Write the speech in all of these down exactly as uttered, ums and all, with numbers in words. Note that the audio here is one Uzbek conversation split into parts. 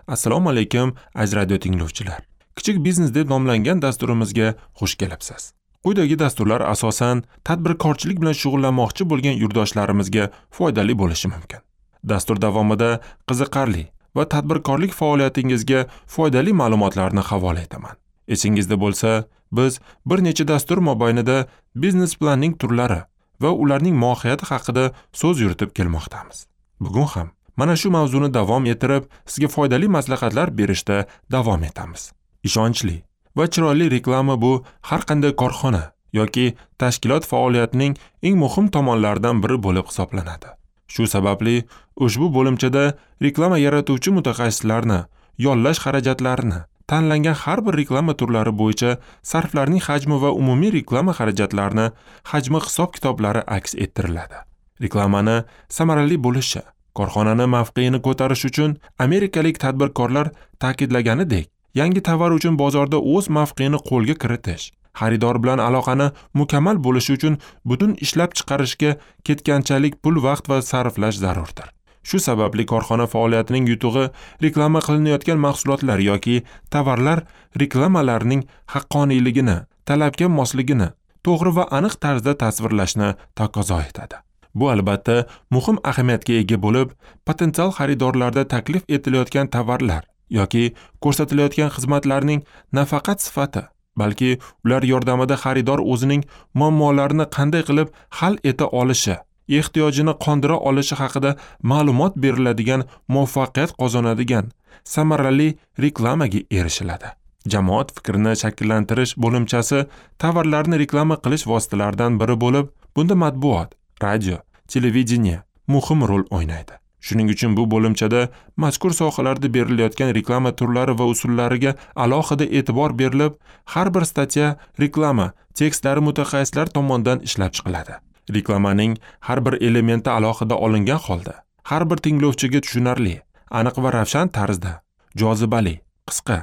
Assalomu alaykum aziz radio tinglovchilar. Kichik biznes deb nomlangan dasturimizga xush kelibsiz. Quyidagi dasturlar asosan tadbirkorchilik bilan shug'ullanmoqchi bo'lgan yurdoshlarimizga foydali bo'lishi mumkin. Dastur davomida qiziqarli va tadbirkorlik faoliyatingizga foydali ma'lumotlarni havola etaman. Esingizda bo'lsa, biz bir necha dastur mobaynida biznes planning turlari va ularning mohiyati haqida so'z yuritib kelmoqdamiz. Bugun ham mana shu mavzuni davom ettirib, sizga foydali maslahatlar berishda davom etamiz. Ishonchli va chiroyli reklama bu har qanday korxona yoki tashkilot faoliyatining eng muhim tomonlaridan biri bo'lib hisoblanadi. Shu sababli ushbu bo'limchada reklama yaratuvchi mutaxassislarni yollash xarajatlarini, tanlangan har bir reklama turlari bo'yicha sarflarning hajmi va umumiy reklama xarajatlarini hajmi hisob-kitoblari aks ettiriladi. Reklamani samarali bo'lishi, korxonani mavqeini ko'tarish uchun amerikalik tadbirkorlar ta'kidlaganidek, yangi tovar uchun bozorda o'z mavqeini qo'lga kiritish, xaridor bilan aloqani mukammal bo'lishi uchun butun ishlab chiqarishga ketganchalik pul, vaqt va sarflash zarurdir. Shu sababli korxona faoliyatining yutug'i reklama qilinayotgan mahsulotlar yoki tovarlar reklamalarning haqqoniyligini, talabga mosligini to'g'ri va aniq tarzda tasvirlashni taqozo etadi. Bu albatta muhim ahamiyatga ega bo'lib, potensial xaridorlarda taklif etilayotgan tovarlar yoki ko'rsatilayotgan xizmatlarning nafaqat sifati, balki ular yordamida xaridor o'zining muammolarini qanday qilib hal eta olishi, ehtiyojini qondira olishi haqida ma'lumot beriladigan, muvaffaqiyat qozonadigan samarali reklamaga erishiladi. Jamoat fikrini shakllantirish bo'limchasi tovarlarni reklama qilish vositalaridan biri bo'lib, bunda matbuot, radio, televideniye muhim rol o'ynaydi. Shuning uchun bu bo'limchada mazkur sohalarda berilayotgan reklama turlari va usullariga alohida e'tibor berilib, har bir statya reklama tekstlari mutaxassislar tomonidan ishlab chiqiladi. Reklamaning har bir elementi alohida olingan holda har bir tinglovchiga tushunarli, aniq va ravshan tarzda, jozibali, qisqa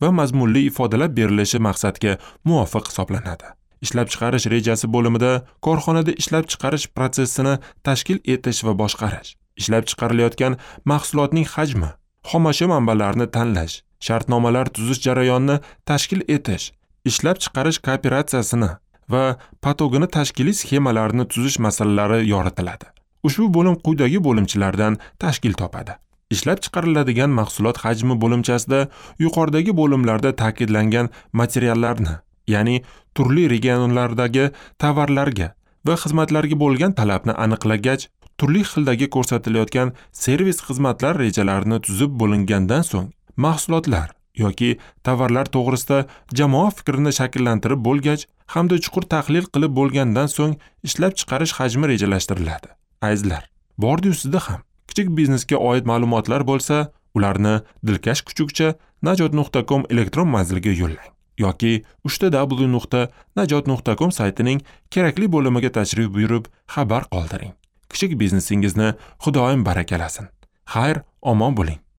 va mazmunli ifodalab berilishi maqsadga muvofiq hisoblanadi. Ishlab chiqarish rejasi bo'limida korxonada ishlab chiqarish protsessini tashkil etish va boshqarish, ishlab chiqarilayotgan mahsulotning hajmi, xomashyo manbalarini tanlash, shartnomalar tuzish jarayonini tashkil etish, ishlab chiqarish kooperatsiyasini va patogini tashkiliy sxemalarini tuzish masalalari yoritiladi. Ushbu bo'lim quyidagi bo'limchalardan tashkil topadi. Ishlab chiqariladigan mahsulot hajmi bo'limchasida yuqoridagi bo'limlarda ta'kidlangan materiallarni, ya'ni turli regionlardagi tovarlarga va xizmatlarga bo'lgan talabni aniqlagach, turli xildagi ko'rsatilayotgan servis xizmatlar rejalarini tuzib bo'lingandan so'ng mahsulotlar yoki tovarlar to'g'risida jamoa fikrini shakllantirib bo'lgach hamda chuqur tahlil qilib bo'lgandan so'ng ishlab chiqarish hajmi rejalashtiriladi. Azizlar, bordi-yu sizda ham kichik biznesga oid ma'lumotlar bo'lsa, ularni dilkash kuchukcha najot nuqta com elektron manziliga yo'llang yoki uchta w nuqta najot nuqta com saytining kerakli bo'limiga tashrif buyurib xabar qoldiring. Kichik biznesingizni Xudoyim barakalasin. Xayr, omon bo'ling.